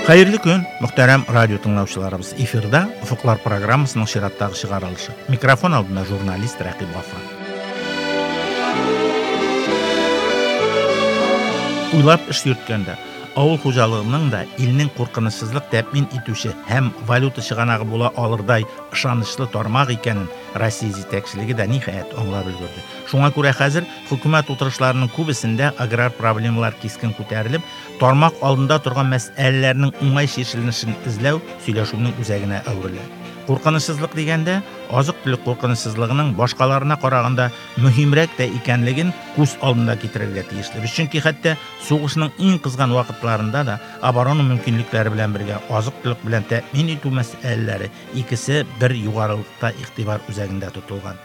Хәерле көн, мөхтәрәм радио тыңлаучыларыбыз. Эфирда Офыклар программасының чираттагы чыгарылышы. Микрофон алдында журналист Рәкыйп Гафар. Уйлап эш йөрткәндә, авыл хуҗалыгының да илнең куркынычсызлык тәэмин итүче һәм валюта чыганагы була алырдай ышанычлы тармак икәнен Россия җитәкчелеге дә ниһаять аңлап өлгерде. Шуңа күрә хәзер хөкүмәт утырышларының күбесендә аграр проблемалар кискен күтәрелеп, тармак алдында торган мәсьәләләрнең уңай чишелешен эзләү сөйләшүнең үзәгенә әверелә. Куркынычсызлык дигәндә, азык-төлек куркынычсызлыгының башкаларына караганда мөһимрәк тә икәнлеген күз алдында китерергә тиешлебез. Чөнки хәтта сугышның иң кызган вакытларында да оборона мөмкинлекләре белән бергә азык-төлек белән тәэмин итү мәсьәләләре икесе бер югарылыкта игътибар үзәгендә тотылган.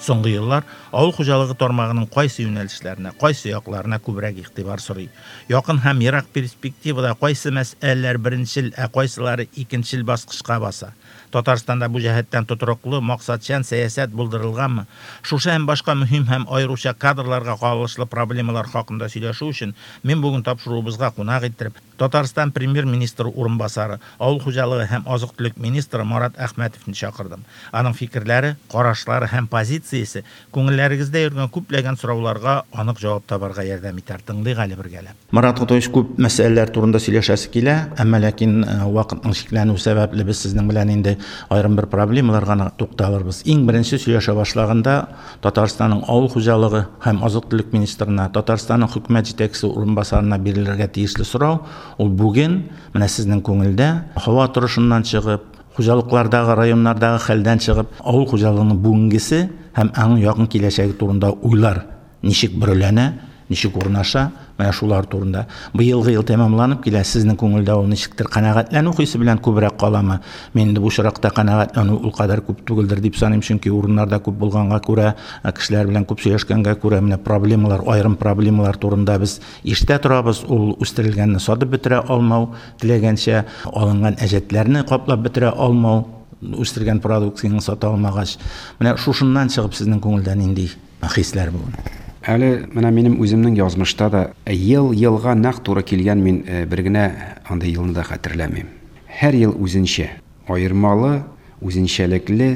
Соңгы еллар авыл хуҗалыгы тармагының кайсы юнәлешләренә, кайсы якларына күбрәк игътибар сорый? Якын һәм ерак перспективада кайсы мәсьәләләр беренчел, ә кайсылары икенчел баскычка баса? Татарстанда бу җәһәттән тотрыклы, максатчан сәясәт булдырылганмы? Шушы һәм башка мөһим һәм аеруча кадрларга кагылышлы проблемалар хакында сөйләшү өчен мин бүген тапшыруыбызга кунак иттереп, Татарстан Премьер-министры урынбасары, авыл хуҗалыгы һәм азык-төлек министры Марат Әхмәтовны чакырдым. Аның фикерләре, карашлары һәм позициясе күңелләрегездә йөргән күпләгән сорауларга анык җавап табарга ярдәм итәр. Тыңлыйк әле бергәләп. Марат Готович, күп мәсьәләләр турында сөйләшәсе килә, әмма ләкин вакытның чикләнү сәбәпле без сезнең белән инде аерым бер проблемаларга гына тукталырбыз. Иң беренче сөйләшә башлаганда Татарстанның авыл хуҗалыгы һәм азык-төлек министрына, Татарстанның хөкүмәт җитәкчесе урынбасарына бирелергә тиешле сорау, ул бүген, менә сезнең күңелдә, һава торышыннан чыгып, хуҗалыклардагы, районнардагы хәлдән чыгып, авыл хуҗалыгының бүгенгесе һәм аның якын киләчәге турында уйлар ничек бөреләнә, ничек урнаша, менә шулар турында. Быелгы ел тәмамланып килә, сезнең күңелдә ул ничектер канәгатьләнү хисе белән күбрәк каламы? Мин инде бу очракта канәгатьләнү ул кадәр күп түгелдер дип саныйм, чөнки урыннарда күп булганга күрә, кешеләр белән күп сөйләшкәнгә күрә, менә проблемалар, аерым проблемалар турында без ишетә торабыз. Ул үстерелгәнне сатып бетерә алмау, теләгәнчә алынган әҗәтләрне каплап бетерә алмау, үстергән продукцияңне сата алмагач. Менә шушыннан чыгып сезнең күңелдә нинди хисләр бүген? Әле менә минем үземнең язмышта да ел елга нәкъ туры килгән мин бер генә андый елны да хәтерләмим. Һәр ел үзенчә, аермалы, үзенчәлекле,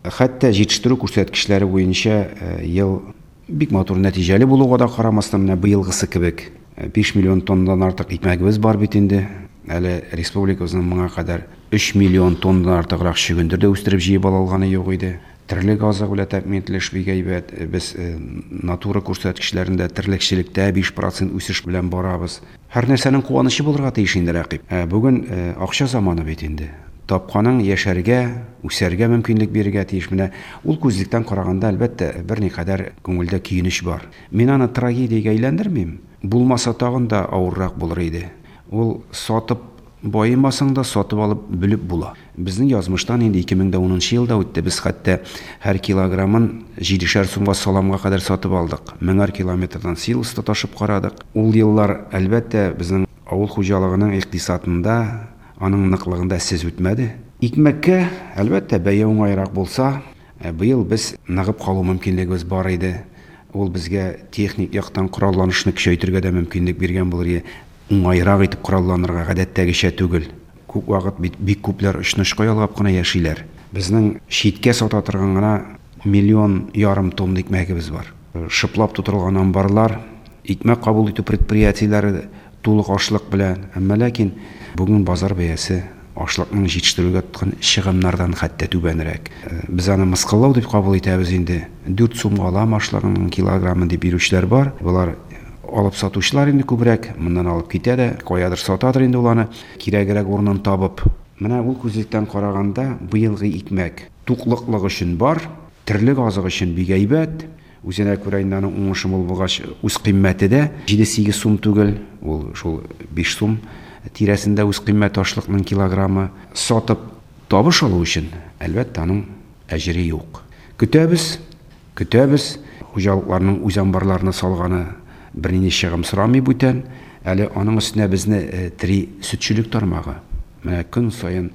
хәтта җитештерү күрсәткечләре буенча ел бик матур нәтиҗәле булуга да карамастан, менә быелгысы кебек 5 миллион тоннадан артык икмәгебез бар бит инде. Әле республикабызның моңа кадәр 3 миллион тоннадан артыграк чөгендер дә үстереп җыеп ала алганы юк иде. Терлек азыгы белән тәэмин ителеш бик әйбәт. Без натура күрсәткечләрендә терлекчелектә 5 процент үсеш белән барабыз. Һәр нәрсәнең куанычы булырга тиеш инде, Рәкыйп. Ә бүген акча заманы бит инде. Тапканың яшәргә, үсәргә мөмкинлек бирергә тиеш. Менә ул күзлектән караганда, әлбәттә, берникадәр күңелдә көенеч бар. Мин аны трагедиягә әйләндермим. Булмаса тагын да авыррак булыр иде. Ул сатып Баемасаң да, сатып алып, бөлеп була. Безнең язмыштан инде 2010 нчы ел да үтте, без хәтта һәр килограммын җидешәр сумга саламга кадәр сатып алдык. Меңәр километрдан силос та ташып карадык. Ул еллар, әлбәттә, безнең авыл хуҗалыгының икътисадында, аның ныклыгында эзсез үтмәде. Икмәккә, әлбәттә, бәя уңайрак булса, быел без ныгып калу мөмкинлегебез бар иде. Ул безгә техник яктан коралланышны көчәйтергә дә мөмкинлек биргән булыр иде. Уңайрак итеп коралланырга, гадәттәгечә түгел. Күп вакыт бит бик күпләр очны-очка ялгап кына яшиләр. Безнең читкә сата торган гына миллион ярым тонна икмәгебез бар. Шыплап тутырылган амбарлар, икмәк кабул итү предприятиеләре тулы ашлык белән. Әмма ләкин бүген базар бәясе ашлыкның җитештерүгә тоткан чыгымнардан хәтта түбәнрәк. Без аны мыскыллау дип кабул итәбез инде. Дүрт сумга алам ашлыгыңның килограммын дип йөрүчеләр бар. Болар алып сатучылар инде күбрәк, моннан алып китә дә, каядыр сатадыр инде ул аны, кирәгерәк урынын табып. Менә ул күзлектән караганда, быелгы икмәк туклыклык өчен бар, терлек азыгы өчен бик әйбәт. Үзенә күрә инде аның уңышы мул булгач, үзкыйммәте дә җиде-сигез сум түгел, ул шул биш сум тирәсендә үзкыйммәте ашлыкның килограммы. Сатып табыш алу өчен, әлбәттә, аның әҗере юк. Көтәбез, көтәбез. Хуҗалыкларның үз амбарларына салганы бернинди чыгым сорамый бүтән. Әле аның өстенә безне тери сөтчелек тармагы. Менә көн саен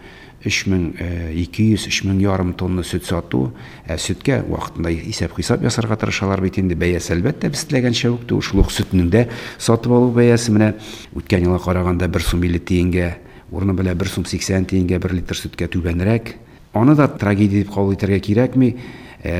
3200, 3000 ярым тонна сөт сату, ә сөткә вакытында исәп-хисап ясарга тырышалар бит инде. Бәясе, әлбәттә, без теләгәнчә үк түгел. Шул ук сөтнең дә сатып алу бәясе менә үткән елга караганда 1 сум 50 тиенгә. Урыны белән 1 сум 80 тиенгә 1 литр сөткә түбәнрәк. Аны да трагедия дип кабул итәргә кирәкми.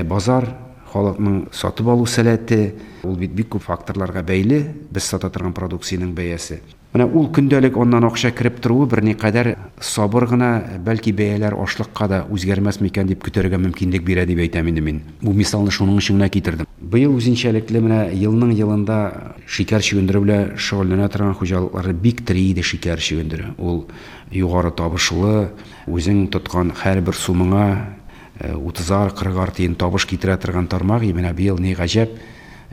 Базар, халыкның сатып алу сәләте, ул бит бик күп факторларга бәйле, без сата торган продукциянең бәясе. Менә ул көндәлек аннан акча кереп торуы берникадәр сабыр гына, бәлки бәяләр ашлыкка да үзгәрмәс микән дип көтәргә мөмкинлек бирә дип әйтәм инде мин. Бу мисалны шуның өчен генә китердем. Быел үзенчәлекле менә елның елында шикәр чөгендере белән шөгыльләнә торган хуҗалыкларны бик тери иде шикәр чөгендере. Ул югары табышлы, үзең тоткан һәрбер сумыңа 30-ар, 40-ар тиен табыш китерә торган тармак. Менә быел ни гаҗәп,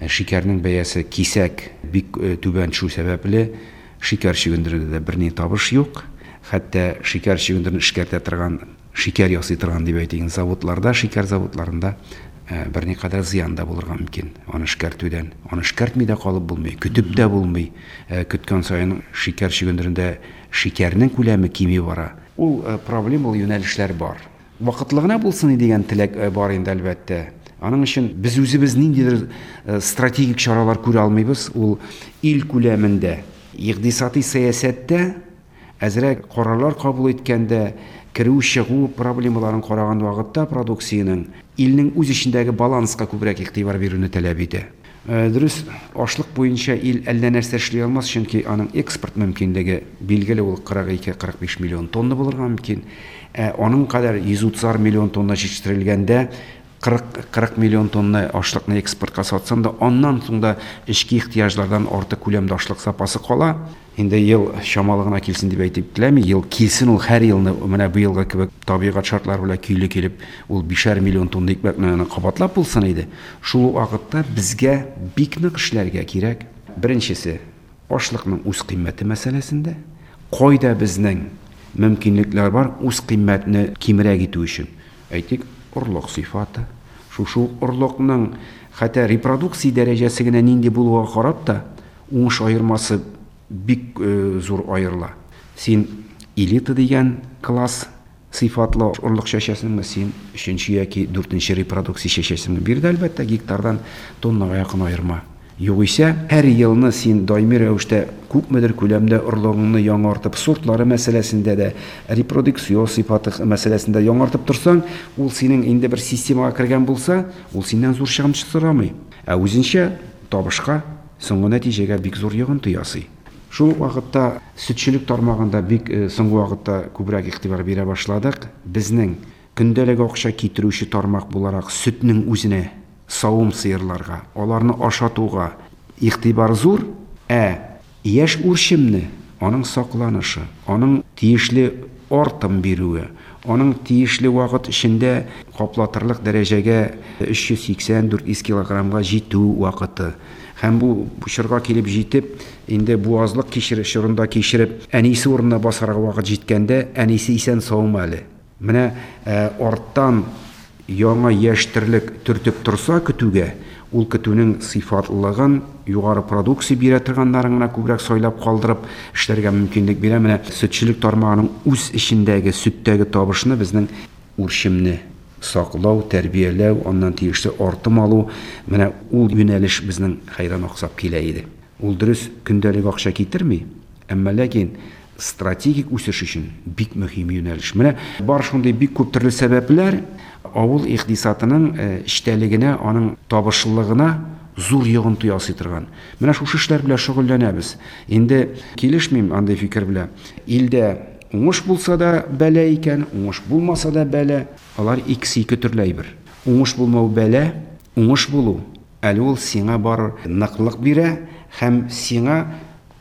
шикәрнең бәясе кисәк бик түбән төшү сәбәпле шикәр чөгендерендә дә берни табыш юк. Хәтта шикәр чөгендерен эшкәртә торган, шикәр ясый торган дип әйтик, заводларда, шикәр заводларында берникадәр зыян да булырга мөмкин аны эшкәртүдән. Аны эшкәртми дә калып булмый, көтеп тә булмый. Көткән саен шикәр чөгендерендә шикәрнең күләме кими бара. Ул проблемалы юнәлешләр бар. Вакытлы гына булсын дигән теләк бар инде, әлбәттә. Аның өчен без үзебез ниндидер стратегик чаралар күрә алмыйбыз. Ул ил күләмендә, икътисади сәясәттә әзрәк карарлар кабул иткәндә, керү-чыгу проблемаларын караган вакытта продукциянең илнең үз эчендәге баланска күбрәк игътибар бирүне таләп итә. Дөрес, ашлык буенча ил әллә нәрсә эшли алмас, чөнки аның экспорт мөмкинлеге билгеле, ул 42-45 миллион тонна булырга мөмкин. Аның кадәр 130 миллион тонна җитештерелгәндә 40 миллион тонна ашлыкны экспортка сатсаң да, аннан соң да эчке ихтыяҗлардан артык күләмдә ашлык запасы кала. Инде ел чамалы гына килсен дип әйтеп теләми, ел килсен ул һәр елны, менә быелгы кебек табигать шартлары белән көйле килеп, ул 5 миллион тонна икмәкне кабатлап булсын иде. Шул ук вакытта безгә бик нык эшләргә кирәк. Беренчесе, ашлыкның үз кыйммәте мәсьәләсендә. Кайда безнең мөмкинлекләр бар үз кыйммәтне кимрәк итү өчен? Әйтик, орлык сыйфаты. Шушы орлыкның хәтта репродукция дәрәҗәсе генә нинди булуга карап та, уңыш аермасы бик зур аерыла. Син элита дигән класс сыйфатлы орлык чәчәсеңме, син 3нче яки 4нче репродукция чәчәсеңме? Биредә әлбәттә гектардан тоннага якын аерма. Югыйсә, һәр елны син даими рәвештә күпмедер күләмдә орлыгыңны яңартып, сортлары мәсьәләсендә дә, репродукция сыйфаты мәсьәләсендә яңартып торсаң, ул синең инде бер системага кергән булса, ул синнән зур чыгым сорамый. Ә үзенчә табышка, соңгы нәтиҗәгә бик зур йогынты ясый. Шул ук вакытта сөтчелек тармагында бик соңгы вакытта күбрәк игътибар бирә башладык. Безнең көндәлек акча китерүче тармак буларак сөтнең үзенә, савым сыерларга, аларны ашатуга игътибар зур, ә яшь үрчемне, аның сакланышы, аның тиешле артым бирүе, аның тиешле вакыт эчендә каплатырлык дәрәҗәгә 380-400 килограммга җитү вакыты. Һәм бу чорга килеп җитеп, инде буазлык чорында кичереп, әнисе урынына басарга вакыт җиткәндә, әнисе исән саумы әле? Менә арттан яңа яшь терлек төртеп торса көтүгә, ул көтүнең сыйфатлылыгын, югары продукция бирә торганнарын гына күбрәк сайлап калдырып эшләргә мөмкинлек бирә. Менә сөтчелек тармагының үз эчендәге сөттәге табышны безнең үрчемне саклау, тәрбияләү, аннан тиешле артым алу, менә ул юнәлеш безнең хәйран аксап килә иде. Ул дөрес көндәлек акча китерми, әмма ләкин стратегик үсеш өчен бик мөһим юнәлеш. Менә бар шундый бик күп төрле сәбәпләр авыл икътисадының эчтәлегенә, аның табышлылыгына зур йогынты ясый торган. Менә шушы эшләр белән шөгыльләнәбез. Инде килешмим андый фикер белән. Илдә уңыш булса да бәла икән, уңыш булмаса да бәла. Алар икесе ике төрле әйбер. Уңыш булмау бәла, уңыш булу әле ул сиңа бар ныклык бирә һәм сиңа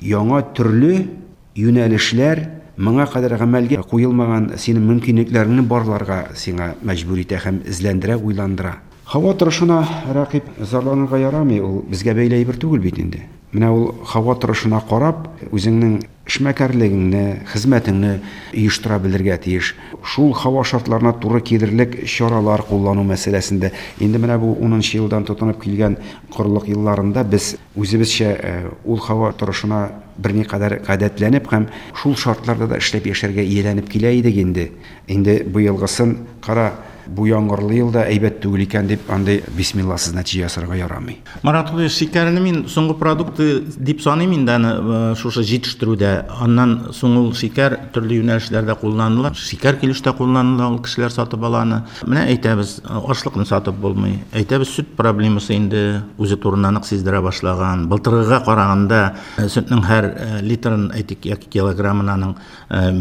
яңа төрле юнәлешләр, моңа кадәр гамәлгә куелмаган синең мөмкинлекләреңне барларга сиңа мәҗбүр итә һәм эзләндерә, уйландыра. Һава торышына рәкип зарланырга ярамый, ул безгә бәйле әйбер түгел бит инде. Менә ул һава торышына карап, үзеңнең эшмәкәрлегеңне, хезмәтеңне оештыра белергә тиеш. Шул һава шартларына туры килерлек чаралар куллану мәсьәләсендә. Инде менә бу 10 елдан тотынып килгән корылык елларында без үзебезчә ул һава торышына берникадәр гадәтләнеп һәм шул шартларда да эшләп яшәргә ияләнеп килә идек инде. Инде быелгысын кара Бу яңгырлы ел да әйбәт түгел икән дип, андый бисмилласыз нәтиҗә ясарга ярамый. Марат Кудыев, шикәрне мин соңгы продукты дип саныйм инде аны шушы җитештерүдә. Аннан соң ул шикәр төрле юнәлешләрдә кулланыла. Шикәр килештә кулланыла, ул кешеләр сатып ала аны. Менә әйтәбез, ашлыкны сатып булмый. Әйтәбез, сөт проблемасы инде үзе турында нык сиздерә башлаган. Былтыргыга караганда сөтнең һәр литрын, әйтик, яки килограммын аның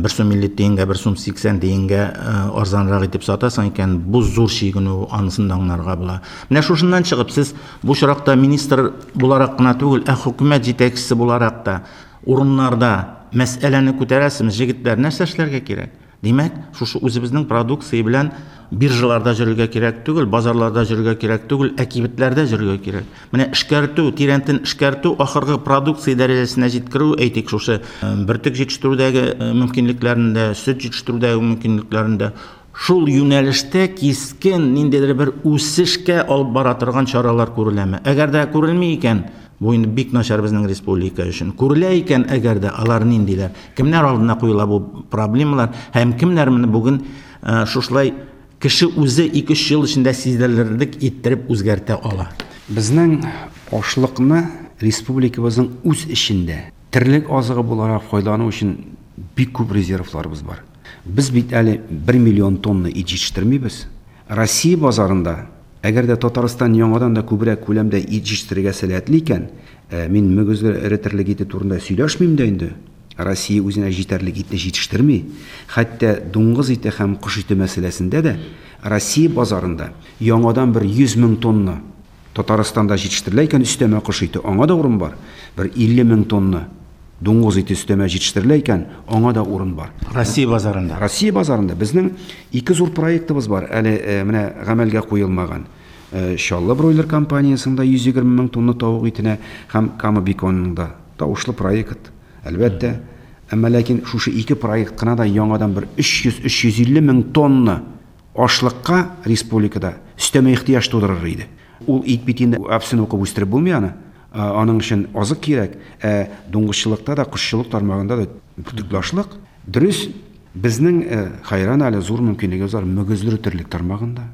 1 сум 50 тиенгә, 1 сум 80 тиенгә арзанрак итеп сатасың икән, бу зур чигенү, анысын да аңларга була. Менә шушыннан чыгып, сез бу очракта министр буларак кына түгел, ә хөкүмәт җитәкчесе буларак та урыннарда мәсьәләне күтәрәсезме, җегетләр, нәрсә эшләргә кирәк? Димәк, шушы үзебезнең продукция белән биржаларда йөрергә кирәк түгел, базарларда йөрергә кирәк түгел, ә кибетләрдә йөрергә кирәк. Менә эшкәртү, тирәнтен эшкәртү, ахыргы продукция дәрәҗәсенә җиткерү, әйтик, шушы бөртек җитештерүдәге мөмкинлекләрендә, сөт җитештерүдәге мөмкинлекләрендә, шул юнәлештә кискен ниндидер бер үсешкә алып бара торган чаралар күреләме? Әгәр дә күрелми икән, бу инде бик начар безнең республика өчен. Күрелә икән, әгәр дә, алар ниндиләр? Кемнәр алдына куела бу проблемалар һәм кемнәр моны бүген шушылай кеше үзе 2-3 ел эчендә сиздерерлек иттереп үзгәртә ала? Безнең ашлыкны республикабызның үз эчендә терлек азыгы буларак файдалану өчен бик күп резервларыбыз бар. Без бит әле 1 миллион тонна ит җитештермибез. Россия базарында, әгәр дә Татарстан яңадан да күбрәк күләмдә ит җитештерергә сәләтле икән, мин мөгезле эре терлек ите турында сөйләшмим дә инде. Россия үзенә җитәрлек итне җитештерми. Хәтта дуңгыз ите һәм кош ите мәсьәләсендә дә Россия базарында яңадан бер 100 мең тонна Татарстанда җитештерелә икән өстәмә кош ите, аңа да урын бар. Бер 50 мең тонна дуңгыз ите өстәмә җитештерелә икән, аңа да урын бар. Россия базарында. Россия базарында безнең ике зур проектыбыз бар, әле менә гамәлгә куелмаган. Чаллы бройлер компаниясендә 120 мең тонна тавык итенә һәм Кама беконының да тавышлы проект, әлбәттә. Әмма ләкин шушы ике проект кына да яңадан бер 300-350 мең тонна ашлыкка республикада өстәмә ихтыяҗ тудырыр иде. Ул ит бит инде әфсен укып үстереп булмый аны. Аның өчен азык кирәк. Ә дуңгызчылыкта да, кошчылык тармагында да бөртекле ашлык. Дөрес, безнең хәйран әле зур мөмкинлегебез бар мөгезле терлек тармагында.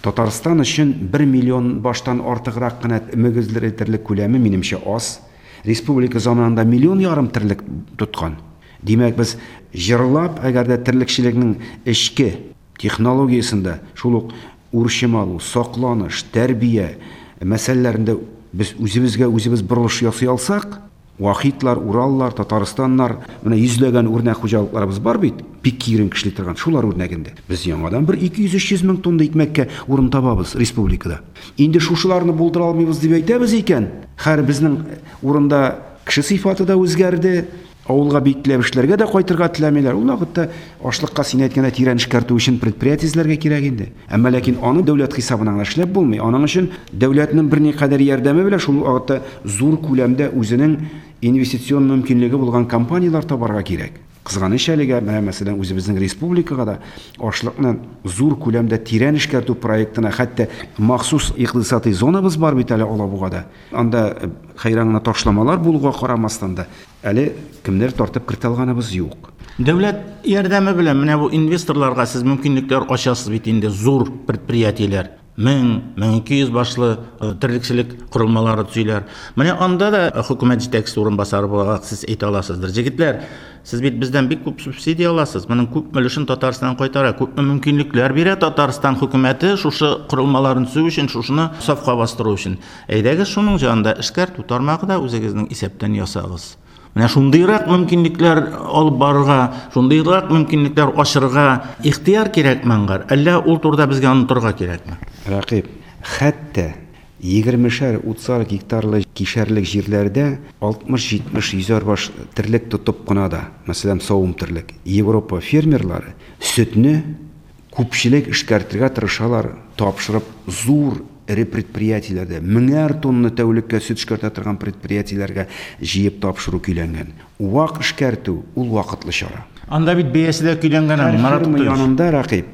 Татарстан өчен 1 миллион баштан артыграк кына мөгезле терлек күләме, минемчә, аз. Республика заманында миллион ярым терлек тоткан. Димәк, без җырлап, әгәр дә терлекчелекнең эчке технологиясендә шул ук үрчем алу, сакланыш, тәрбия мәсьәләләрендә без үзебезгә үзебез борылыш ясый алсак, Вахитлар, Ураллар, Татарстаннар, менә йөзләгән үрнәк хуҗалыкларыбыз бар бит, бик киеренке эшли торган, шулар үрнәгендә. Без яңадан бер 200-300 мең тонна икмәккә урын табабыз республикада. Инде шушыларны булдыра алмыйбыз дип әйтәбез икән, хәер безнең урында кеше сыйфаты да үзгәрде, авылга бик теләп эшләргә дә кайтырга теләмиләр. Ул вакытта ашлыкка син әйткәндә тирән эшкәртү өчен предприятие эзләргә кирәк инде. Әмма ләкин аны дәүләт хисабына гына эшләп булмый. Аның өчен дәүләтнең берникадәр ярдәме белән шул вакытта зур күләмдә үзенең инвестицион мөмкинлеге булган компанияләр табарга кирәк. Кызганыч әлегә, менә мәсәлән, үзебезнең республикага да ашлыкны зур күләмдә тирән эшкәртү проектына, хәтта махсус икътисадый зонабыз бар бит әле Алабугада. Анда хәйран гына ташламалар булуга карамастан да, әле кемнәр тартып кертә алганыбыз юк. Дәүләт ярдәме белән менә бу инвесторларга сез мөмкинлекләр ачасыз бит инде, зур предприятиеләр. 1000, 1200 башлы терлекчелек корылмалары төзиләр. Менә анда да хөкүмәт җитәкчесе урынбасары буларак сез әйтә аласыздыр. Җегетләр, сез бит бездән бик күп субсидия аласыз. Моның күпме өлешен Татарстан кайтара, күпме мөмкинлекләр бирә Татарстан хөкүмәте шушы корылмаларын төзү өчен, шушыны сафка бастыру өчен. Әйдәгез шуның җанында эшкәртү тармагы да үзегезнең исәптән ясагыз. Менә шундыйрак мөмкинлекләр алып барырга, шундыйрак мөмкинлекләр ачырга ихтыяр кирәкме аңгар? Әллә ул турыда безгә онытырга кирәкме? Рәкыйп, хәтта егермешәр, утызар гектарлы кишәрлек җирләрдә алтмыш-җитмеш, йөзәр баш терлек тотып кына да, мәсәлән, савым терлек, Европа фермерлары сөтне күпчелек эшкәртергә тырышалар, тапшырып зур эре предприятиеләрдә, меңәр тонна тәүлеккә сөт эшкәртә торган предприятиеләргә җыеп тапшыру көйләнгән. Вак эшкәртү ул вакытлы чара. Анда бит бәясе дә көйләнгән аның, Марат Ферма янында, Рәкыйп,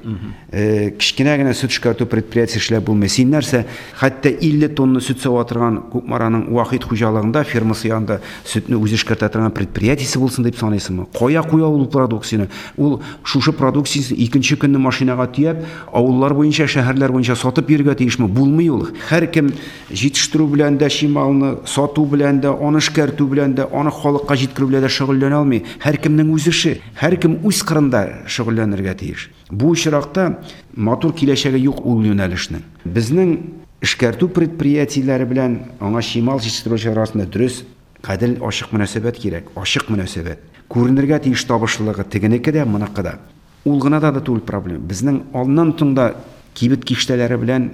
кечкенә генә сөт эшкәртү предприятиесе эшләп булмый. Син нәрсә, хәтта 50 тонна сөт сава торган Кукмараның Вахит хуҗалыгында фермасы янында сөтне үзе эшкәртә торган предприятиесе булсын дип саныйсыңмы? Кая куя ул продукцияне? Ул шушы продукциясен икенче көнне машинага төяп, авыллар буенча, шәһәрләр буенча сатып йөрергә тиешме? Булмый ул. Һәркем җитештерү белән дә чималны, сату белән дә, аны эшкәртү белән дә, аны халыкка җиткерү белән дә шөгыльләнә алмый. Һәркемнең үз эше, һәркем үз кырында шөгыльләнергә тиеш. Бу очракта матур киләчәге юк ул юнәлешнең. Безнең эшкәртү предприятиеләре белән аңа чимал җитештерүчеләр арасында дөрес, гадел, ачык мөнәсәбәт кирәк, ачык мөнәсәбәт. Күренергә тиеш табышлылыгы тегенеке дә, моныкы да. Ул гына да түгел проблема. Безнең аннан соң да кибет киштәләре белән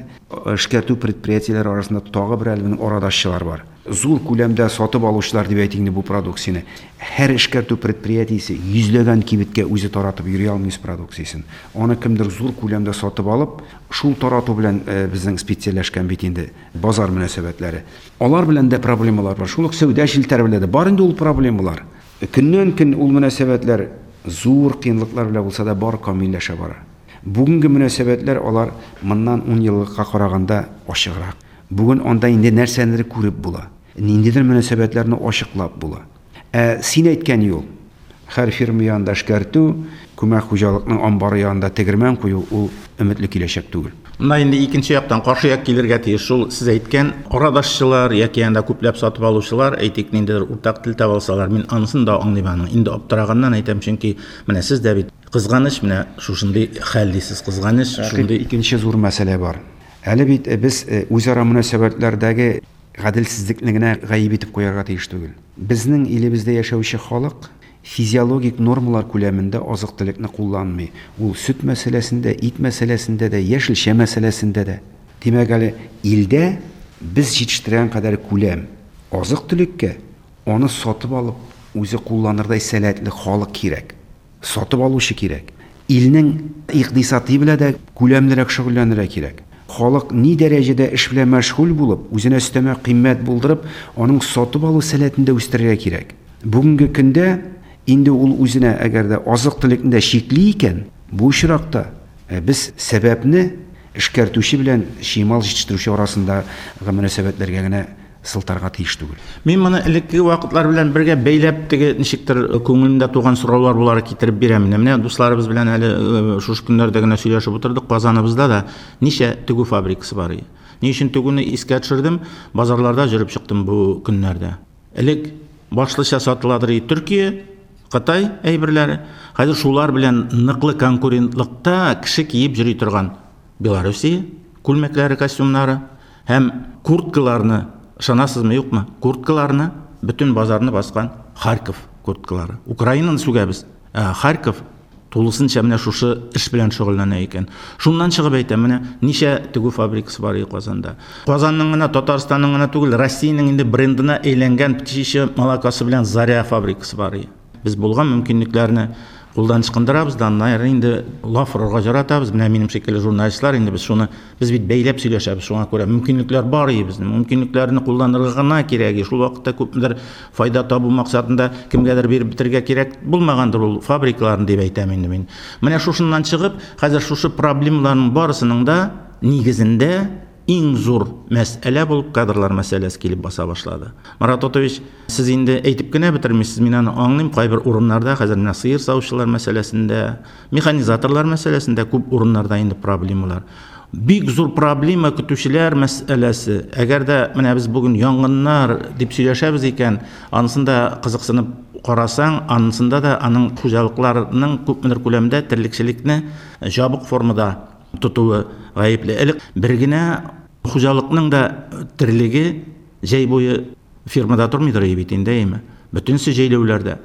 эшкәртү предприятиеләре арасында тагы бер әле арадашчылар бар. Зур күләмдә сатып алучылар дип әйтик инде бу продукцияне. Һәр эшкәртү предприятиесе йөзләгән кибеткә үзе таратып йөри алмый үз продукциясен. Аны кемдер зур күләмдә сатып алып, шул тарату белән безнең специальләшкән бит инде базар мөнәсәбәтләре. Алар белән дә проблемалар бар. Шул ук сәүдә челтәре белән дә бар инде ул проблемалар. Көннән-көн ул мөнәсәбәтләр зур кыенлыклар белән булса да бар камилләшә бара. Бүгенге мөнәсәбәтләр алар моннан 10 еллыкка караганда ачыграк. Бүген анда инде нәрсәнедер күреп була. Ниндидер мөнәсәбәтләрне ачыклап була. Ә син әйткән юл, һәр фирма янында эшкәртү, күмәк хуҗалыкның амбары янында тегермән кую, ул өметле киләчәк түгел. Монда инде икенче яктан каршы як килергә тиеш. Шул сез әйткән арадашчылар яки анда күпләп сатып алучылар, әйтик, ниндидер уртак тел таба алсалар, мин анысын да аңлыйм аның. Инде аптыраганнан әйтәм, чөнки менә сез дә бит кызганыч, менә шушындый хәл дисез, кызганыч, шундый икенче зур мәсьәлә бар. Әле бит без үзара мөнәсәбәтләрдәге гаделсезлекне генә гаеп итеп куярга тиеш түгел. Безнең илебездә яшәүче халык физиологик нормалар күләмендә азык-төлекне кулланмый. Ул сөт мәсьәләсендә, ит мәсьәләсендә дә, яшелчә мәсьәләсендә дә. Димәк, әле илдә без җитештергән кадәр күләм азык-төлеккә аны сатып алып, үзе кулланырдай сәләтле халык кирәк. Сатып алучы кирәк. Илнең икътисады белән дә күләмлерәк шөгыльләнергә кирәк. Халык ни дәрәҗәдә эш белән мәшгуль булып, үзенә өстәмә кыйммәт булдырып, аның сатып алу сәләтен дә үстерергә кирәк. Бүгенге көндә инде ул үзенә әгәр дә азык-төлекне дә чикли икән, бу очракта без сәбәпне эшкәртүче белән чимал җитештерүче арасындагы мөнәсәбәтләргә генә сылтарга тиеш түгел. Мин моны элеккеге вакытлар белән бергә бәйләп теге ничектер күңелемдә туган сораулар буларак китереп бирәм. Менә дусларыбыз белән әле шушы көннәрдә генә сөйләшеп утырдык. Казаныбызда да ничә тегү фабрикасы бар. Ни өчен тегүне искә төшердем? Базарларда йөреп чыктым бу көннәрдә. Элек башлыча сатыладыр и Төркия, Кытай әйберләре. Хәзер шулар белән ныклы конкурентлыкта кеше киеп йөри торган Белоруссия күлмәкләре, костюмнары һәм курткаларны, ышанасызмы, юкмы? Курткаларны бөтен базарны баскан Харьков курткалары. Украинаны сүгәбез, ә Харьков тулысынча менә шушы эш белән шөгыльләнә икән. Шуннан чыгып әйтәм, менә ничә тегү фабрикасы бар Казанда. Казанның гына, Татарстанның гына түгел, Россиянең инде брендына әйләнгән Птичья молокасы белән Заря фабрикасы бар. Без булган мөмкинлекләрне кулдан ычкындырабыз да, аннары инде лаф орырга яратабыз. Менә минем шикелле журналистлар инде без шуны, без бит бәйләп сөйләшәбез, шуңа күрә мөмкинлекләр бар и безнең. Мөмкинлекләрне кулланырга гына кирәк. Шул вакытта күпмедер файда табу максатында кемгәдер биреп бетерергә кирәк булмагандыр ул фабрикаларны дип әйтәм инде мин. Менә шушыннан чыгып, хәзер шушы проблемаларның барысының да нигезендә иң зур мәсьәлә булып кадрлар мәсьәләсе килеп баса башлады. Марат Отович, сез инде әйтеп кенә бетермисез, мин аны аңлыйм, кайбер урыннарда хәзер менә сыер савучылар мәсьәләсендә, механизаторлар мәсьәләсендә күп урыннарда инде проблемалар. Бик зур проблема көтүчеләр мәсьәләсе. Әгәр дә менә без бүген янгыннар дип сөйләшәбез икән, анысын да кызыксынып карасаң, анысында да аның хуҗалыкларының күпмедер күләмдә терлекчелекне җабык формада тотуы гаепле. Элек бер генә хуҗалыкның да терлеге җәй буе фермада тормыйдыр бит инде, әйеме? Бөтенесе җәйләүләрдә.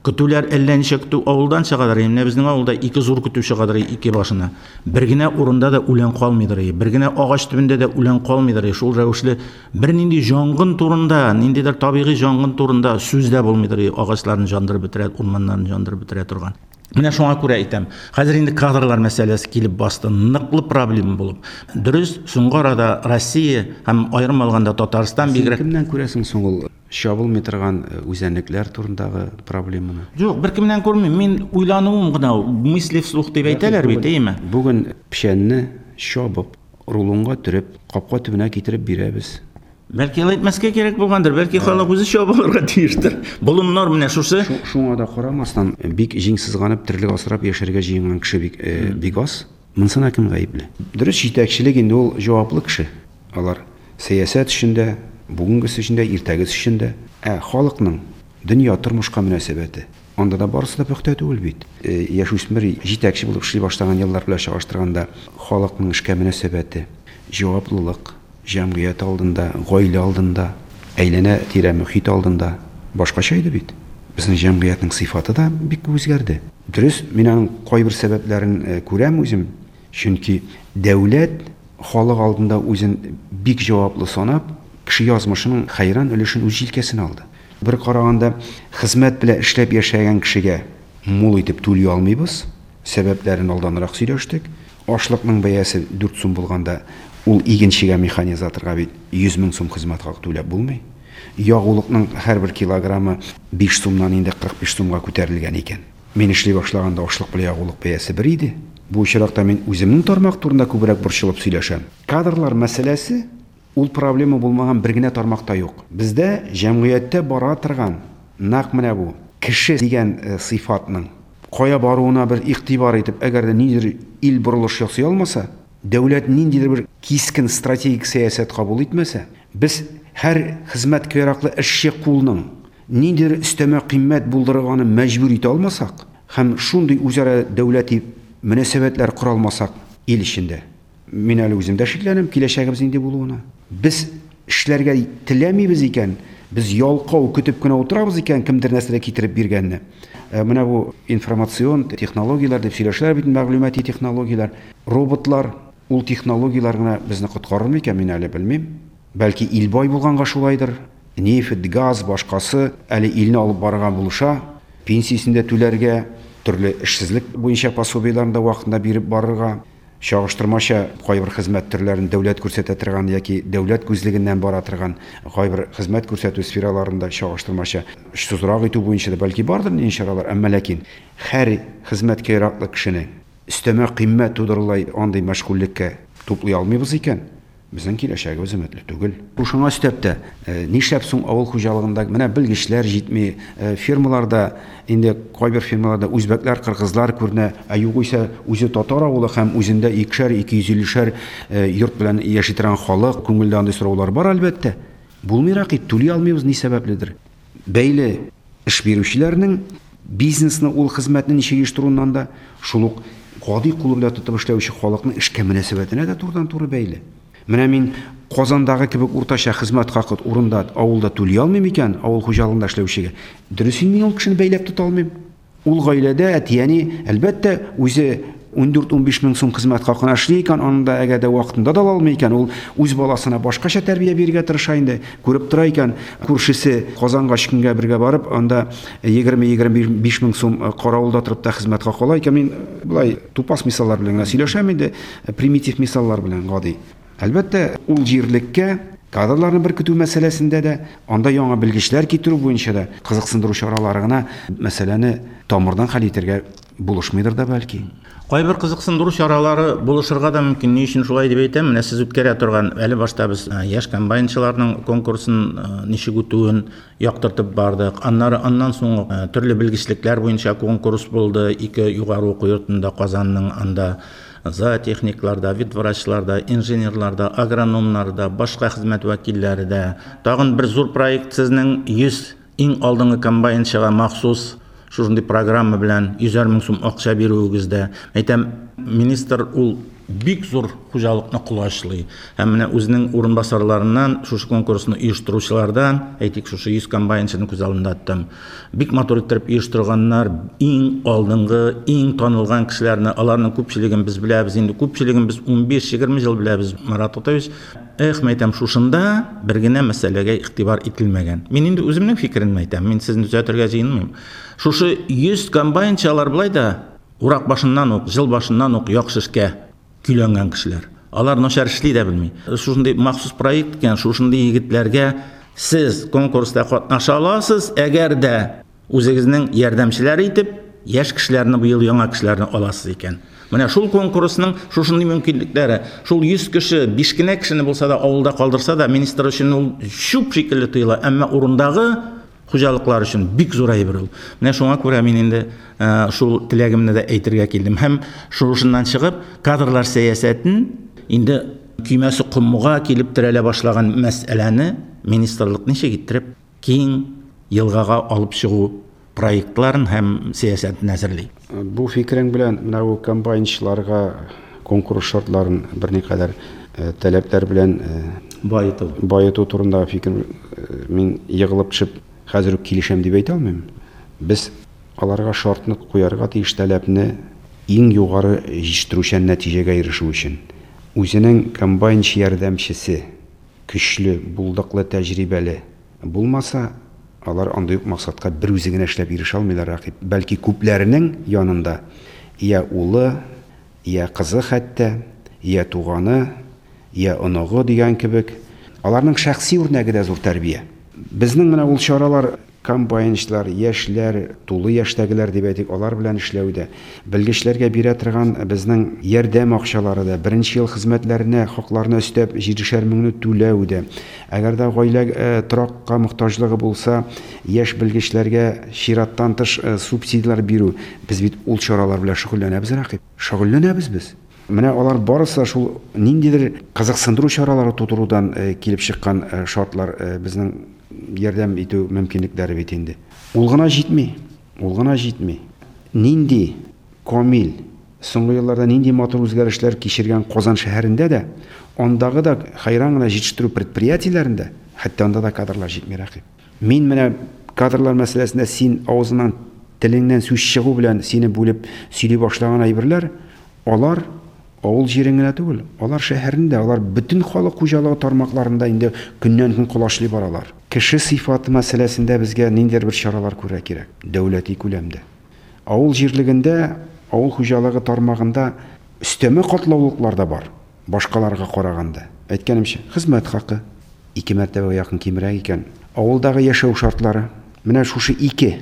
Көтүләр әллә ничә көтү авылдан чыгадыр. Менә безнең авылда ике зур көтү чыгадыр ике башына. Бер генә урында да үлән калмыйдыр. Бер генә агач төбендә дә үлән калмыйдыр. Шул рәвешле бернинди янгын турында, ниндидер табигый янгын турында сүз дә булмыйдыр. Агачларны яндырып бетерә, урманнарны яндырып бетерә торган. Менә шуңа күрә әйтәм, хәзер инде кадрлар мәсьәләсе килеп басты, ныклы проблема булып. Дөрес, соңгы арада Россия һәм аерым алганда Татарстан бигрәк. Кемнән күрәсең соң ул чабылмый торган үзәнлекләр турындагы проблеманы? Юк, беркемнән күрмим. Мин уйлануым гына, мысли вслух дип әйтәләр бит, әйеме? Бүген печәнне чабып, рулонга төреп, капка төбенә китереп бирәбез. Бәлки алай итмәскә кирәк булгандыр, бәлки халык үзе чабып алырга тиештер. Болыннар менә шушы. Шуңа да карамастан, бик җиң сызганып терлек асрап яшәргә җыенган кеше бик бик аз. Монысына кем гаепле? Дөрес, җитәкчелек инде ул җаваплы кеше. Алар сәясәт өчен дә, бүгенгесе өчен дә, иртәгесе өчен дә. Ә халыкның дөнья, тормышка мөнәсәбәте, анда да барысы да пөхтә түгел бит. Яшүсмер җитәкче булып эшли башлаган еллар белән чагыштырганда, халыкның эшкә мөнәсәбәте, җаваплылык, Җәмгыять алдында, гаилә алдында, әйләнә-тирә мөхит алдында башкача иде бит. Безнең җәмгыятьнең сыйфаты да бик күп үзгәрде. Дөрес, мин аның кайбер сәбәпләрен күрәм үзем. Чөнки дәүләт халык алдында үзен бик җаваплы санап, кеше язмышының хәйран өлешен үз җилкәсенә алды. Бер караганда, хезмәт белән эшләп яшәгән кешегә мул итеп түли алмыйбыз. Сәбәпләрен алданрак сөйләштек. Ашлыкның бәясе 4 сум булганда, ул игенчегә, механизаторга бит 100 мең сум хезмәт хакы түләп булмый. Ягулыкның һәрбер килограммы 5 сумнан инде 45 сумга күтәрелгән икән. Мин эшли башлаганда ашлык белән ягулык бәясе бер иде. Бу очракта мин үземнең тармак турында күбрәк борчылып сөйләшәм. Кадрлар мәсьәләсе ул проблема булмаган бер генә тармак та юк. Бездә җәмгыятьтә бара торган нәкъ менә бу кеше дигән сыйфатның кая баруына бер игътибар итеп, әгәр дә ниндидер ил борылыш ясый алмаса, дәүләт ниндидер бер кискен стратегик сәясәт кабул итмәсә, без һәр хезмәткә яраклы эшче кулның ниндидер өстәмә кыйммәт булдырырга аны мәҗбүр итә алмасак һәм шундый үзара дәүләти мөнәсәбәтләр кора алмасак ил эчендә, Мин әле үзем дә шикләнәм киләчәгебез нинди булуына. Без эшләргә теләмибез икән, без ялкау көтеп кенә утырабыз икән, кемдер нәрсәдер китереп биргәнне. Э, менә бу информацион технологияләр дип сөйләшәләр бит, мәгълүмати технологияләр, роботлар, ул технологияләр генә безне коткарыр микән, мин әле белмим. Бәлки ил бай булганга шулайдыр. Нефть, газ, башкасы әле илне алып барырга булыша. Пенсиясен дә түләргә, төрле эшсезлек буенча пособиеләрен дә вакытында биреп барырга. Чагыштырмача кайбер хезмәт төрләрен дәүләт күрсәтә торган яки дәүләт күзлегеннән бара торган кайбер хезмәт күрсәтү сфераларында чагыштырмача очсызрак итү буенча да бәлки бардыр нинди чаралар, әмма ләкин һәр хезмәткә яраклы кешене өстәмә кыйммәт тудырылай андый мәшгульлеккә туплый алмыйбыз икән, Безнең киләчәгебез өметле түгел. Шуңа өстәп тә, нишләп соң авыл хуҗалыгында менә белгечләр җитми, фермаларда инде кайбер фермаларда үзбәкләр, кыргызлар күренә, ә югыйсә үзе татар авылы һәм үзендә икешәр, 250-шәр йорт белән яши торган халык, күңелдә андый сораулар бар, әлбәттә. Булмыйрак ит, түли алмыйбыз, ни сәбәпледер. Бәйле эш бирүчеләрнең бизнесны, ул хезмәтне ничек оештыруыннан да, шул ук гади кулы белән тотып эшләүче халыкның эшкә мөнәсәбәтенә дә турыдан-туры бәйле. Менә мин Казандагы кебек уртача хезмәт хакы урында, авылда түли алмыйм икән, авыл хуҗалыгында эшләүчегә. Дөрес, мин ул кешене бәйләп тота алмыйм. Ул гаиләдә әти-әни, әлбәттә, үзе 14-15 мең сум хезмәт хакына эшли икән, аның да әгәр дә вакытында да ала алмый икән, ул үз баласына башкача тәрбия бирергә тырыша инде. Күреп тора икән, күршесе Казанга өч көнгә бергә барып, анда 20-25 мең сум каравылда торып та хезмәт хакы ала икән. Мин болай тупас мисаллар белән генә сөйләшәм инде, примитив мисаллар белән, гади. Әлбәттә, ул җирлеккә кадрларны беркетү мәсьәләсендә дә, анда яңа белгечләр китерү буенча да кызыксындыру чаралары гына мәсьәләне тамырдан хәл итәргә булышмыйдыр да бәлки. Кайбер кызыксындыру чаралары булышырга да мөмкин. Ни өчен шулай дип әйтәм? Менә сез үткәрә торган, әле башта без яшь комбайнчыларның конкурсын ничек үтүен яктыртып бардык. Аннары аннан соң төрле белгечлекләр буенча конкурс булды. Ике югары уку йортында Казанның анда зоотехниклар да, ветврачлар да, инженерлар да, агрономнар да, башка хезмәт вәкилләре дә. Тагын бер зур проект сезнең 100 иң алдынгы комбайнчыга махсус шушындый программа белән йөзәр мең сум акча бирүегез дә. Әйтәм, министр ул бик зур хуҗалыкны колачлый. Һәм менә үзенең урынбасарларыннан, шушы конкурсны оештыручылардан, әйтик, шушы 100 комбайнчыны күз алдында тоттым. Бик матур иттереп оештырганнар, иң алдынгы, иң танылган кешеләрне, аларның күпчелеген без беләбез инде, күпчелеген без 15-20 ел беләбез, Марат Атаевич. Эх, мәйтәм, шушында бер генә мәсьәләгә игътибар ителмәгән. Мин инде үземнең фикеремне әйтәм, мин сезне төзәтергә җыенмыйм. Шушы 100 комбайнчы алар болай да урак башыннан ук, җыл башыннан ук яхшы эшкә көйләнгән кешеләр. Алар начар эшли дә белми. Шушындый махсус проект икән, шушындый егетләргә сез конкурста катнаша аласыз, әгәр дә үзегезнең ярдәмчеләр итеп, яшь кешеләрне быел яңа кешеләрне аласыз икән. Менә шул конкурсның шушындый мөмкинлекләре, шул 100 кеше, 5 кенә кешене булса да авылда калдырса да, министр өчен ул чүп шикелле тоела, әмма урындагы хуҗалыклар өчен бик зур әйбер ул. Менә шуңа күрә мин инде шул теләгемне дә әйтергә килдем. Һәм шушыннан чыгып, кадрлар сәясәтен инде көймәсе комга килеп терәлә башлаган мәсьәләне министрлык ничек иттереп киң елгага алып чыгу проектларын һәм сәясәтен әзерли. Бу фикерең белән менә бу комбайнчыларга конкурс шартларын берникадәр таләпләр белән баету баету турындагы фикер мин егылып төшеп хәзер үк килешәм дип әйтә алмыйм. Без аларга шартны куярга тиеш таләпне иң югары җитештерүчән нәтиҗәгә ирешү өчен. Үзенең комбайнчы ярдәмчесе көчле, булдыклы, тәҗрибәле булмаса, алар андый ук максатка бер үзе генә эшләп ирешә алмыйлар, Рәкыйп. Бәлки күпләренең янында я улы, я кызы хәтта, я туганы, я оныгы дигән кебек. Аларның шәхси үрнәге дә зур тәрбия. Безнең менә ул чаралар комбайнчылар, яшьләр, тулы яшьтәгеләр дип әйтик, алар белән эшләү дә, белгечләргә бирә торган безнең ярдәм акчалары да, беренче ел хезмәтләренә хакларына өстәп 7 меңне түләү дә. Әгәр дә гаилә торакка мохтаҗлыгы булса, яшь белгечләргә чираттан тыш субсидияләр бирү. Без бит ул чаралар белән шөгыльләнәбез, Рәкыйп. Шөгыльләнәбез без. Менә алар барысы шул ниндидер кызыксындыру чаралары тудырудан килеп чыккан шартлар безнең ярдәм итү мөмкинлекләре бит инде. Ул гына җитми. Ул гына җитми. Нинди камил, соңгы елларда нинди матур үзгәрешләр кичергән Казан шәһәрендә дә, андагы да хәйран гына җитештерү предприятиеләрендә, хәтта анда да кадрлар җитми, Рәкыйп. Мин менә кадрлар мәсьәләсендә син авызыңнан, телеңнән сүз чыгу белән сине бүлеп сөйли башлаган әйберләр, алар авыл җирен генә түгел, алар шәһәрендә, алар бөтен халык хуҗалыгы тармакларында инде көннән-көн колачлый баралар. Кеше сыйфаты мәсьәләсендә безгә ниндидер бер чаралар күрергә кирәк, дәүләти күләмдә. Авыл җирлегендә, авыл хуҗалыгы тармагында өстәмә катлаулыклар да бар, башкаларга караганда. Әйткәнемчә, хезмәт хакы 2 мәртәбәгә якын кимрәк икән. Авылдагы яшәү шартлары. Менә шушы ике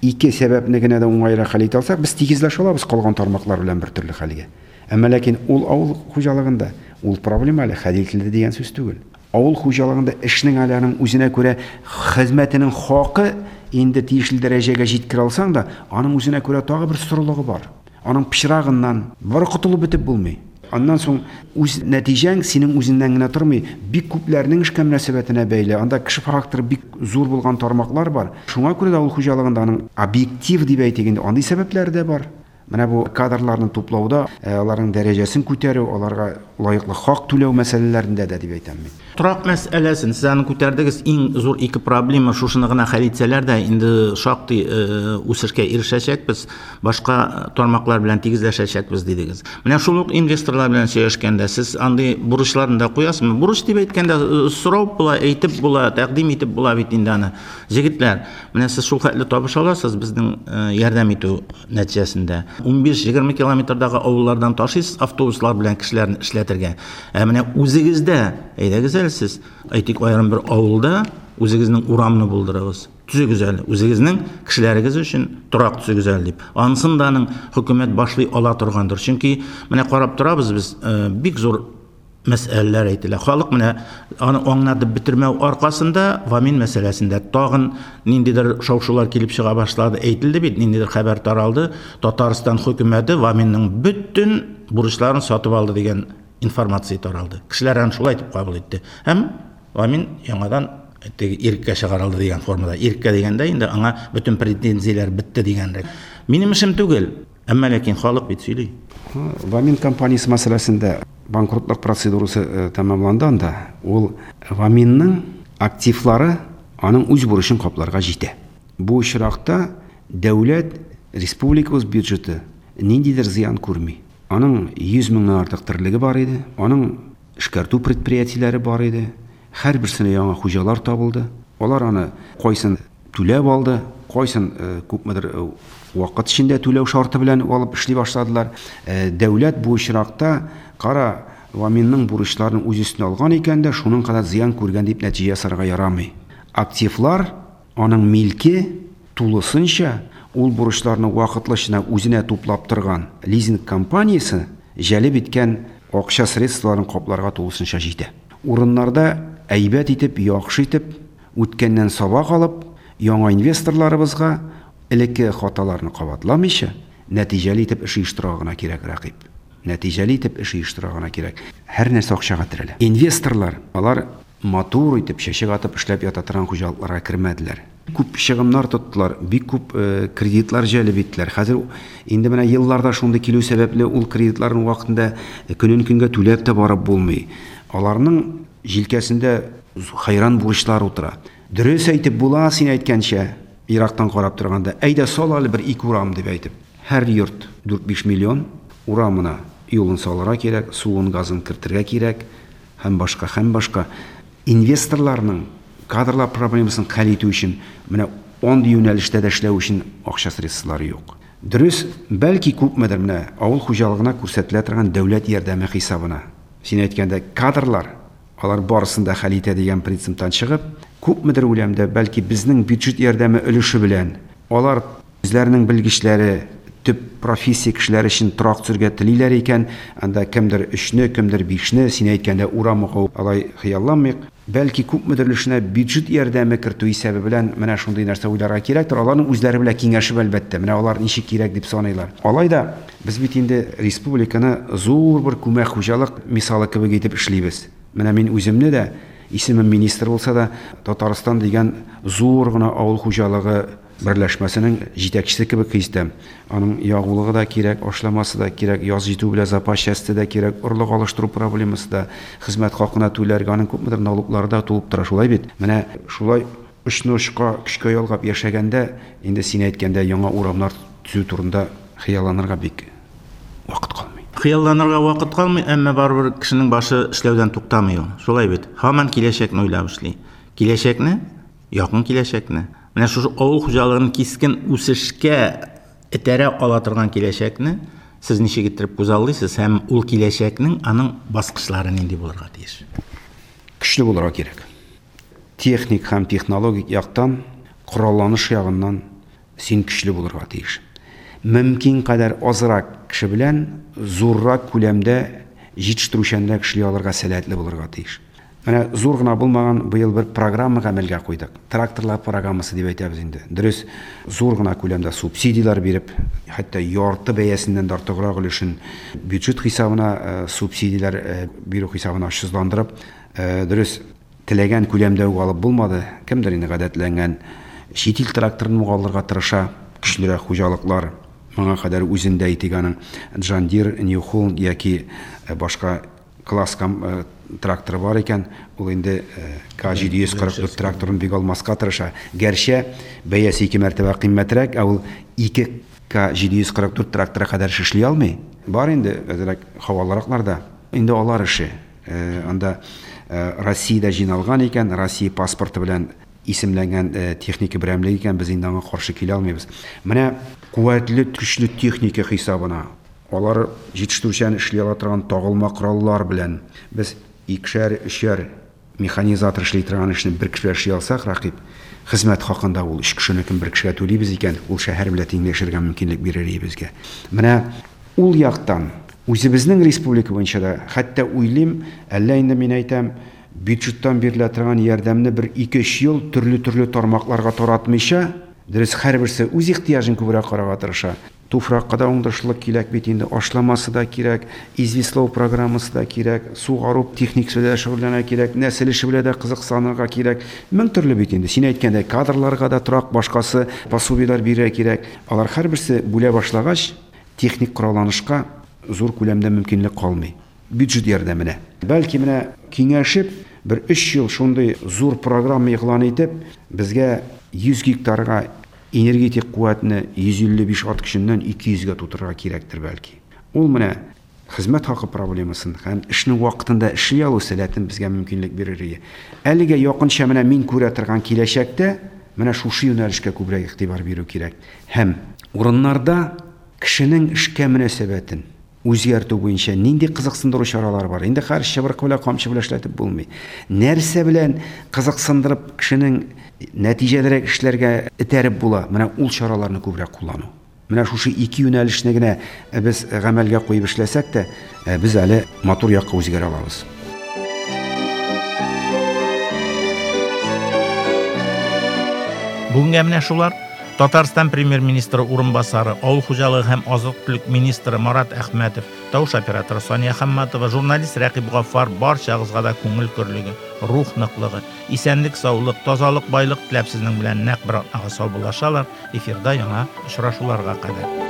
сәбәпне генә дә уңайрак хәл итә алсак, без тигезләшә алабыз калган тармаклар белән бер төрле хәлгә. Әмма ләкин ул авыл хуҗалыгында ул проблема әле хәл ителде дигән сүз түгел. Авыл хуҗалыгында эшнең әле аның үзенә күрә хезмәтенең хакы инде тиешле дәрәҗәгә җиткерә алсаң да, аның үзенә күрә тагы бер сорылыгы бар. Аның пычрагыннан бары котылып бетеп булмый. Аннан соң үз нәтиҗәң синең үзеңнән генә тормый, бик күпләрнең эшкә мөнәсәбәтенә бәйле. Анда кеше факторы бик зур булган тармаклар бар. Шуңа күрә дә авыл хуҗалыгында аның объектив дип әйтик инде, андый сәбәпләре дә бар. Менә бу кадрларны туплауда, аларның дәрәҗәсен күтәрү, аларга лаеклы хак түләү мәсьәләләрендә дә дип әйтәм мин. Торак мәсьәләсен сез аны күтәрдегез, иң зур ике проблема шушыны гына хәл итсәләр дә, инде шактый үсешкә ирешәчәкбез, башка тармаклар белән тигезләшәчәкбез дидегез. Менә шул ук инвесторлар белән сөйләшкәндә сез андый бурычларны да куясызмы? Бурыч дип әйткәндә сорау була, әйтеп була, тәкъдим итеп була бит инде аны. Җегетләр, менә сез шул хәтле табыш аласыз безнең ярдәм итү нәтиҗәсендә. 15-20 километрдагы авыллардан ташыйсыз автобуслар белән кешеләрне эшләтергә. Ә менә үзегездә, әйдәгез әле сез, әйтик, аерым бер авылда үзегезнең урамны булдырыгыз. Төзегез әле, үзегезнең кешеләрегез өчен торак төзегез әле дип. Анысын да аның хөкүмәт башлый ала торгандыр. Чөнки менә карап торабыз без, бик зур мәсьәләләр әйтелә. Халык менә аны аңлатып бетермәү аркасында Вамин мәсьәләсендә тагын ниндидер шау-шулар килеп чыга башлады. Әйтелде бит, ниндидер хәбәр таралды. Татарстан хөкүмәте Ваминның бөтен бурычларын сатып алды дигән информация таралды. Кешеләр аны шулай итеп кабул итте. Һәм Вамин яңадан теге иреккә чыгарылды дигән формада. Иреккә дигәндә инде аңа бөтен претензияләр бетте дигәнрәк. Минем эшем түгел. Әмма ләкин халык бит сөйли. Вамин компаниясе мәсьәләсендә банкротлык процедурасы тәмамланды анда. Ул Ваминның активлары аның үз бурычын капларга җитә. Бу очракта дәүләт, республикабыз бюджеты ниндидер зыян күрми. Аның 100 меңнән артык терлеге бар иде, аның эшкәртү предприятиеләре бар иде. Һәрберсенә яңа хуҗалар табылды. Алар аны кайсын түләп алды, кайсын күпмедер вакыт эчендә түләү шарты белән алып эшли башладылар. Дәүләт бу очракта, кара, Ваминның бурычларын үз өстенә алган икән дә, шуның кадәр зыян күргән дип нәтиҗә ясарга ярамый. Активлар, аның милке тулысынча ул бурычларны вакытлычына үзенә туплап торган лизинг компаниясе җәлеп иткән акча средстволарын капларга тулысынча җитә. Урыннарда әйбәт итеп, яхшы итеп, үткәннән сабак алып, яңа инвесторларыбызга элекке хаталарны кабатламыйча, нәтиҗәле итеп эш оештырырга гына кирәк, Рәкыйп. Нәтиҗәле итеп эш оештырырга гына кирәк. Һәр нәрсә акчага терәлә. Инвесторлар, алар матур итеп, чәчәк атып эшләп ята торган хуҗалыкларга кермәделәр. Күп чыгымнар тоттылар, бик күп кредитлар җәлеп иттеләр. Хәзер инде менә елларда шундый килү сәбәпле ул кредитларның вакытында көнен көнгә түләп тә барып булмый. Аларның җилкәсендә хәйран бурычлар утыра. Дөрес әйтеп була, син әйткәнчә, ерактан карап торганда, әйдә сал әле бер ике урам дип әйтеп. Һәр йорт 4-5 миллион, урамына юлын салырга кирәк, суын, газын кертергә кирәк һәм башка, һәм башка. Инвесторларның кадрлар проблемасын хәл итү өчен менә андый юнәлештә дә эшләү өчен акча средстволары юк. Дөрес, бәлки күпмедер менә авыл хуҗалыгына күрсәтелә торган дәүләт ярдәме хисабына. Син әйткәндә кадрлар, алар барысын да хәл итә дигән принциптан чыгып, күпмедер үләмдә, бәлки безнең бюджет ярдәме өлеше белән алар үзләренең белгечләре, төп профессия кешеләре өчен торак төзергә телиләр икән, анда кемдер 3-не, кемдер 5-не, син әйткәндә урам уку алай хыялланмыйк. Бәлки күпмедер өлешенә бюджет ярдәме кертү исәбе белән менә шундый нәрсә уйларга кирәктер. Аларның үзләре белән киңәшеп, әлбәттә, менә алар ничек кирәк дип саныйлар. Алай да без бит инде республиканы зур бер күмәк хуҗалык мисалы кебек итеп эшлибез. Менә мин үземне дә, исемем министр булса да, Татарстан дигән зур гына авыл хуҗалыгы берләшмәсенең җитәкчесе кебек хис итәм. Аның ягулыгы да кирәк, ашламасы да кирәк, яз җитү белән запас часте да кирәк, орлык алыштыру проблемасы да, хезмәт хакына түләргә, аның күпмедер налоглары да тулып тора, шулай бит? Менә шулай очны очка, көчкә ялгап яшәгәндә, инде син әйткәндә яңа урамнар төзү турында хыялланырга бик вакыт калмый. Хыялланырга вакыт калмый, әмма барыбер кешенең башы эшләүдән туктамый ул. Шулай бит? Һаман киләчәкне уйлап эшли. Киләчәкне, якын киләчәкне. Менә шушы авыл хуҗалыгын кискен үсешкә этәрә ала торган киләчәкне сез ничек иттереп күзаллыйсыз һәм ул киләчәкнең аның баскычлары нинди булырга тиеш? Көчле булырга кирәк. Техник һәм технологик яктан, коралланыш ягыннан син көчле булырга тиеш. Мөмкин кадәр азрак кеше белән зуррак күләмдә җитештерүчәнрәк эшли алырга сәләтле булырга тиеш. Менә зур гына булмаган быел бер программа гамәлгә куйдык. Тракторлар программасы дип әйтәбез инде. Дөрес, зур гына күләмдә субсидияләр биреп, хәтта ярты бәясеннән дә артыграк өлешен бюджет хисабына субсидияләр бирү хисабына очсызландырып, дөрес, теләгән күләмдә үк алып булмады. Кемдер инде гадәтләнгән чит ил тракторын ук алырга тырыша, көчлерәк хуҗалыклар. Моңа кадәр үзендә әйтик аның John Deere, New Holland яки башка класс тракторы бар икән, ул инде К744 тракторын бик алмаска тырыша. Гәрчә бәясе ике мәртәбә кыйммәтрәк, ә ул 2 К744 тракторы кадәр эш эшли алмый. Бар инде әзрәк һавалыракларда. Инде алар эше. Анда Россиядә җыйналган икән, Россия паспорты белән исемләнгән техника берәмлеге икән, без инде аңа каршы килә алмыйбыз. Менә куәтле, көчле техника хисабына алар җитештерүчән эшли ала торган тагылма кораллар белән без икешәр, өчәр механизатор эшли торган эшне бер кешегә эшли алсак, Рәкыйп, хезмәт хакында ул өч кешенекен бер кешегә түлибез икән, ул шәһәр белән тиңләшергә мөмкинлек бирер иде безгә. Менә ул яктан үзебезнең республика буенча да, хәтта уйлыйм, әллә инде мин әйтәм, бюджеттан бирелә торган ярдәмне бер ике-өч ел төрле-төрле тармакларга таратмыйча, дөрес, һәрберсе үз ихтыяҗын күбрәк карарга тырыша. Туфракка да уңдырышлылык кирәк бит инде, ашламасы да кирәк, известлау программасы да кирәк, сугару техникасы белән дә шөгыльләнергә кирәк, нәсел эше белән дә кызыксынырга кирәк. Мең төрле бит инде. Син әйткәндәй, кадрларга да торак башкасы пособиеләр бирергә кирәк. Алар һәрберсе бүлә башлагач, Техник коралланышка зур күләмдә мөмкинлек калмый. Бюджет ярдәменә. Бәлки менә киңәшеп, бер өч ел шундый зур программа игълан итеп, безгә 100 гектарга энергетик куәтне 155 ат көченнән 200 гә тутырырга кирәктер бәлки. Ул менә хезмәт хакы проблемасын һәм эшне вакытында эшли алу сәләтен безгә мөмкинлек бирер иде. Әлегә якынча менә мин күрә торган киләчәктә менә шушы юнәлешкә күбрәк игътибар бирү кирәк. Һәм урыннарда кешенең эшкә мөнәсәбәтен үзгәртү буенча нинди кызыксындыру чаралары бар? Инде хәзер чыбыркы белән, камчы белән эшләтеп булмый. Нәрсә белән кызыксындырып кешенең нәтиҗәлерәк эшләргә этәреп була? Менә ул чараларны күбрәк куллану. Менә шушы ике юнәлешне генә без гамәлгә куеп эшләсәк тә, без әле матур якка үзгәрә алабыз. Бүгенгә менә шулар. Татарстан премьер-министры урынбасары, авыл хуҗалыгы һәм азык-төлек министры Марат Әхмәтов, тавыш операторы Сания Хамматова, журналист Рәкыйп Гаффар барчагызга да күңел көрлеге, рух ныклыгы, исәнлек-саулык, тазалык, байлык теләп сезнең белән нәкъ бер атнага саубуллашалар. Эфирда яңа очрашуларга кадәр.